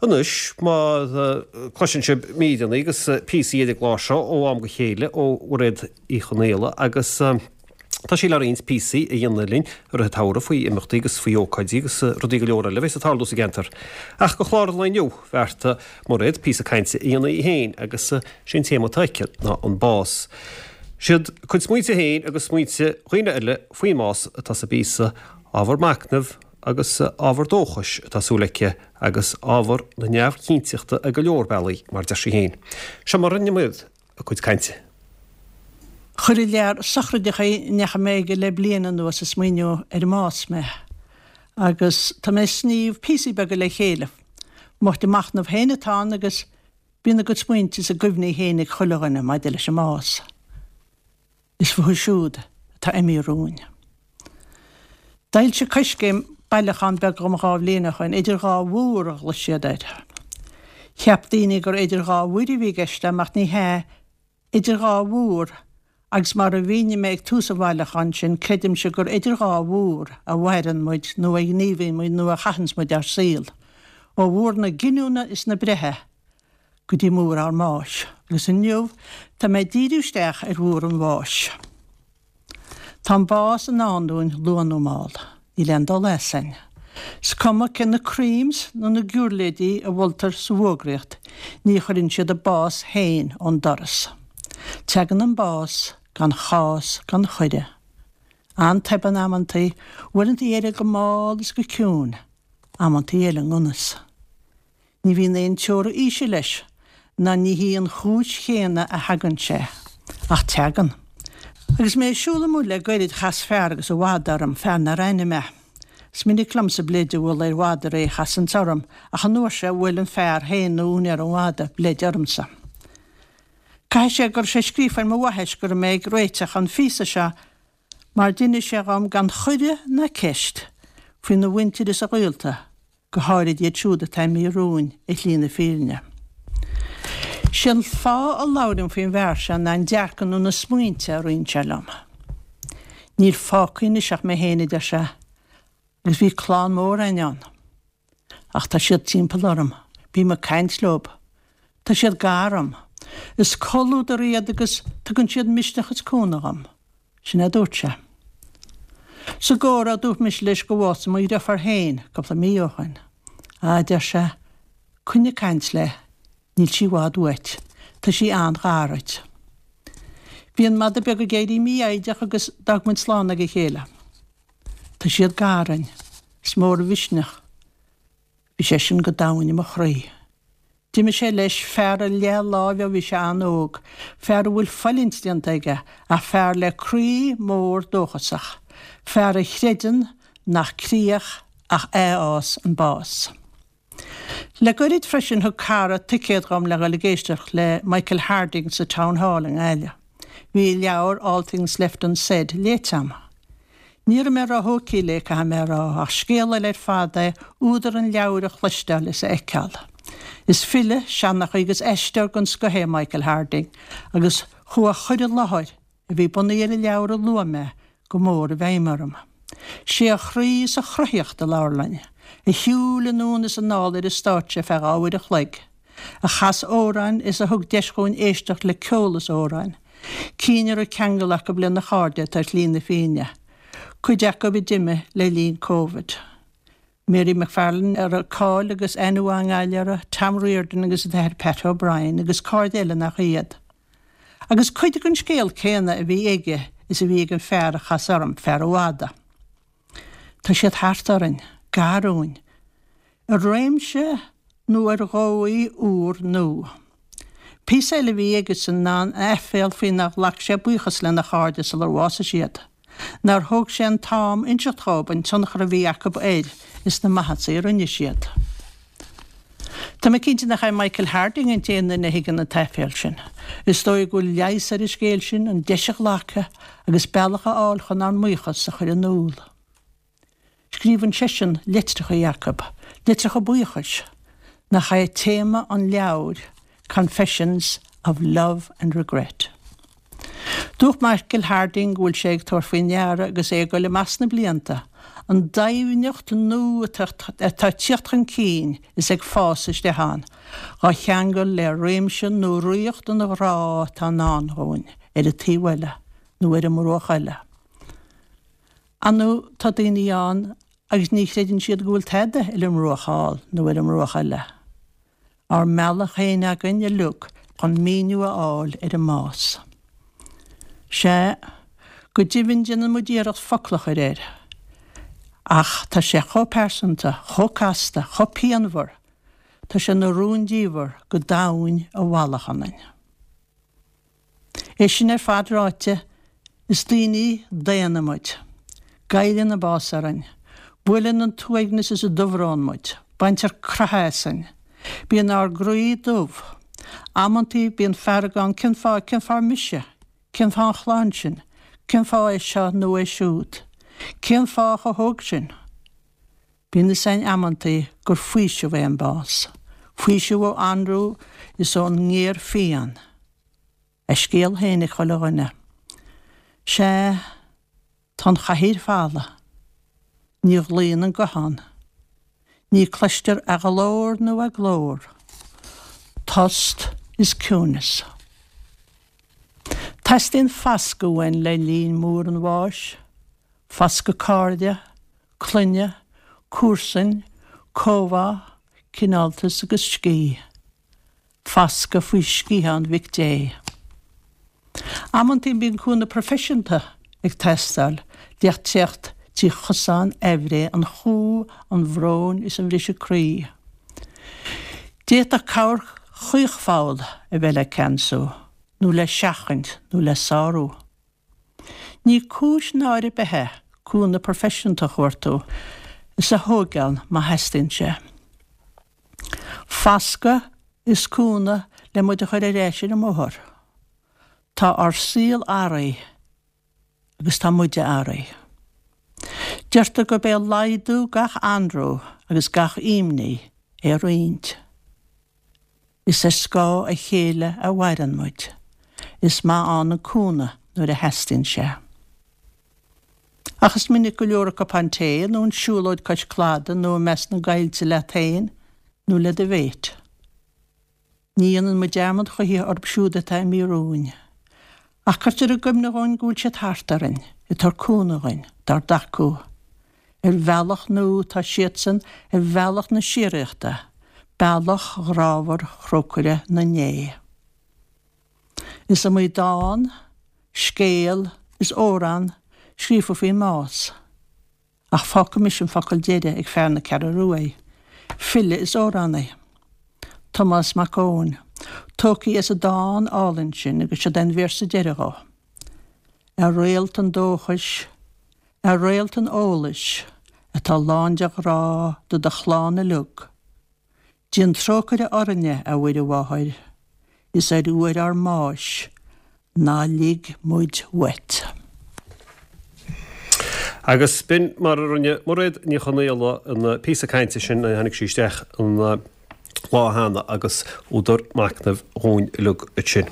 Anois, má cloiseann sibh míreanna agus píosaí ar an gclár seo ó am go chéile ó Mhairéad Uí Chonaola agus tá sí le roinnt píosaí a dhéanamh linn i rith an tsamhraidh faoi imeachtaí agus faoi ócáidí agus rudaí go leor eile a bheas ag tarlú sa gceantar. Ach do chlár an lae inniu, bheartaigh Mairéad píosa cainte a dhéanamh í féin agus sé an téama atá aici ná an bás. Siad a cuid smaointe féin agus smaointe dhaoine eile faoin mbás atá sa bpíosa, ábhar machnaimh agus ábhar dóchais atá súil aici agus ábhar na neamhchinnteachta ar go leor bealaí, mar a deir sí féin. Seo mar a rinne Mairéad a cuid cainte. Chuir an lear sochraideacha a ndeachaigh mé aige le bliain anuas ag smaoineamh ar an mbás mé, agus tá mé ag sníomh píosaí beaga le chéile. Mo chuid machnamh féin atá ann agus bíonn a gcuid smaointe is a gcuimhní féin ag chuile dhuine maidir leis an mbás. Is fúthu siúd atá imithe romhainn. D'fhoilsigh Coiscéim bailiúchán beag dhom 2 bhliain ó shoin, Idir Dhá Mhúr a ghlaoigh siad air. Cheap daoine gur idir dhá mhuir a bhí i gceist agam ach ní hea, idir dhá mhúr agus mar a mhínigh mé ag tús an bhailiúcháin sin, creidimse gur idir dhá mhúr a mhaireann muid nó a ghníomhaíonn muid nó a chaitheanns muid ár saol, ó mhúr na giniúna is na breithe go dtí múr ár mbáis, agus inniu tá mé ag díriú isteach ar mhúr an bháis. Tá an bás i ndán dúinn luath nó mall. Níl aon dul asainn. Is cuma cé na creams nó na giúirléidí a mholtar sa bhfógraíocht, ní chuireann siad an bás féin ón doras. Tagann an bás gan chás gan chuireadh. An-tobann amantaí, uaireantaí eile go mall is go ciúin, amantaí eile i ndonas. Ní bhíonn aon teora aoise leis, ná ní hí an chúis chéanna a thagann sé. Ach tagann. Agus mé ag siúl amuigh le goirid chas fear agus a mhada orm, fear nár aithnigh mé. Is minic liomsa bleid a bhualadh ar mhadraí a chasanns orm, ach an uair seo bhuail an fear féin nó úinéir an mhada, bleid ormsa. Caithfidh sé go raibh sé scríofa ar mo bhaithis go raibh mé ag réiteach an phíosa seo mar d'inis sé dhom gan chuireadh ná ceist faoina mhuintir is a ghaolta, go háirid iad siúd atá imithe romhainn ar shlí na fírinne. Sé an fáth a labhraím faoin bhfear seo ná an dearcadh nó na smaointe a roinn sé liom. Níl fágtha anois ach mé féin, a deir sé, agus bhí clann mhór againn ann. Ach tá siad timpeall orm, bím ag caint leob. Tá siad gar dom. Is comhluadar iad agus tugann siad misneach is cúnamh dhom. Sin é a dúirt sé. Sa gcomhrá dúirt mise leis gur bhásaigh mo dhriofár féin cúpla mí ó shoin. Á, a deir sé, coinnigh ag caint léi, níl sí i bhfad uait, tá sí an-ghar dhuit. Bhí an madadh beag ag éirí mífhoighdeach agus d'fhág muid slán ag a chéile. Tá siad gar dúinn. Is mór an mhisneach. Bhí sé sin go domhain i mo chroí. D'imigh sé leis, fear a leath láimhe ó bhí sé an-óg, fear a bhfuil fulaingt déanta aige, ach fear le croí mór dóchasach, fear a chreideann nach críoch ach athfhás an bás. Le goirid freisin thug cara ticéad dhom le dhul ag éisteacht le Michael Harding sa Town Hall i nGaillimh. Bhí a leabhar All Things Left Unsaid léite a'm. Ní raibh mé róthógtha léi, caithfidh mé a rá, ach scéal eile ar fad é údar an leabhair a chloisteáil is a fheiceáil. Is file, seanchaí agus aisteoir den scoth é Michael Harding agus chuaigh a chur i láthair, a bhí bunaithe ar an leabhar a luaigh mé, go mór i bhfeidhm orm. Sé a chroí is a chruthaíocht a labhair linn, a shiúil anonn is anall ar an stáitse ar feadh 2 uair a chloig, a chas amhráin is a thug deis dhúinn éisteacht le ceol is amhráin, cinn a raibh ceangal acu lena chairde atá ar shlí na fírinne, cuid acu a d'imigh le linn Covid. Mary McFarlane a raibh cáil agus aithne mhaith i nGaillimh uirthi, Tom Riordan agus an tAthair Pat O'Brien agus cairde eile nach iad. Agus cuid den scéal céanna a bhí aige is a bhí ag an fear a chas orm, fear an mhada. Tá siad thart orainn, gar dúinn, i réimse nó ar dhóigh úr nua. Píosa eile a bhí aigesan ná an aiféal faoi nár ghlac sé buíochas lena chairde sular bhásaigh siad, nár thóg sé an t-am inseacht dhóibh an tionchar a bhí acu air is na maitheasaí a rinne siad. Tá mé cinnte nach é Michael Harding an t-aon duine a thuigeann an t-aiféal sin. Is dóigh go bhfuil leigheas ar an scéal sin, an deis a ghlacadh agus bealach a fháil chun ár mbuíochas a chur in iúl. Scríobhann seisean litreacha acu, litreacha buíochais, nach é téama an leabhair Confessions of Love and Regret. Dúirt Michael Harding go bhfuil sé ag tabhairt faoi ndeara agus é ag dul amach sna blianta. An doimhneacht nua atá ag tíocht chun cinn is ag fás isteach ann, dhá cheangal le réimse nó ríocht an ghrá atá i ndán dhúinn ar an taobh eile nó ar an mbruach eile. Ar ndóigh tá daoine ann agus ní chreideann siad go bhfuil tada ar an mbruach thall nó ar an mbruach eile. Ár mbealach féin againn uilig chun míniú a fháil ar an mbás. Sea, go deimhin déanann muid iarracht focal a chur air. Ach tá sé chomh pearsanta, chomh casta, chomh pianmhar, tá sé ina rúndiamhair go domhain i bhfalach ionainn. É sin ar fad ráite, is daoine daonna muid. Goilleann an bás orainn. Buaileann an t-uaigneas is an dubhrón muid. Baintear croitheadh asainn. Bíonn ár gcroí dubh. Amantaí bíonn fearg ann cén fáth, cén fáth mise? Cén fáth an chlann sin? Cén fáth é seo nó é siúd? Cén fáth chomh hóg sin? Bíonn fhios a'inn amantaí gur faoiseamh é an bás. Faoiseamh ó anró is ón ngéarphian. A scéal féin ag chuile dhuine. Sea, tá an chathaoir folamh. Ní ghlaonn an guthán. Ní cloistear a ghlór nó a glór. Tost is ciúnas. Teastaíonn fascadh uainn le linn múr an bháis. Fascadh cairde, clainne, comharsan, comhbhá, cineáltas agus scíth. Fascadh faoi sciathán Mhic Dé. Amantaí bíonn cúnamh proifisiúnta ag teastáil le teacht trí chosán aimhréidh an chumha, an bhróin is an bhriseadh croí. D'fhéadfadh cabhair chaochpholl a bheith le ceansú, nó le seachaint, nó le sárú. Ní cúis náire ar bith é cúnamh proifisiúnta a chuartú is a thóigeáil má theastaíonn sé. Fascadh is cúnamh le muid a chur ar ais ar an mbóthar. Tá ár saol athraithe agus tá muide athraithe. Deirtear gurb é laghdú gach anró agus gach imní é a roinnt. Is ar scáth a chéile a mhaireann muid. Is maith ann an cúnamh nuair a theastaíonn sé. Ach is minic go leor an cupán tae nó an siúlóid cois cladaigh nó i measc na gcoillte leat féin nó le do mhéit. Ní dhéanann muid dearmad choíche orthu siúd atá imithe romhainn. Ach cuirtear i gcuimhne dhúinn go bhfuil siad thart orainn, ag tabhairt cúnamh dhuinn, dár dtacú. Ar bhealach nua tá siadsan ar bhealach na síoraíochta, bealach ghrámhar thrócaire na ndéithe. Is iomaí dán, scéal is amhrán scríofa faoin mbás, ach fágfaidh mise an focal deiridh ag fear na Ceathrú Rua, file is amhránaí, Tomás Mac Eoin, tógtha as an dán álainn sin agus siod é an véarsa deiridh dhó. A réalt an dóchais, A réalt an eolais, atá lán de ghrá do do chlann uilig, déan trócaire orainne, a Mhuire Mháthair, is ar uair ár mbáis, ná lig muid uait. Agus b'in mar a rinne Mairéad Ní Chonaola an píosa cainte sin nuair a tháinig sí isteach an lá cheana agus údar machnaimh dhúinn uilig ansin.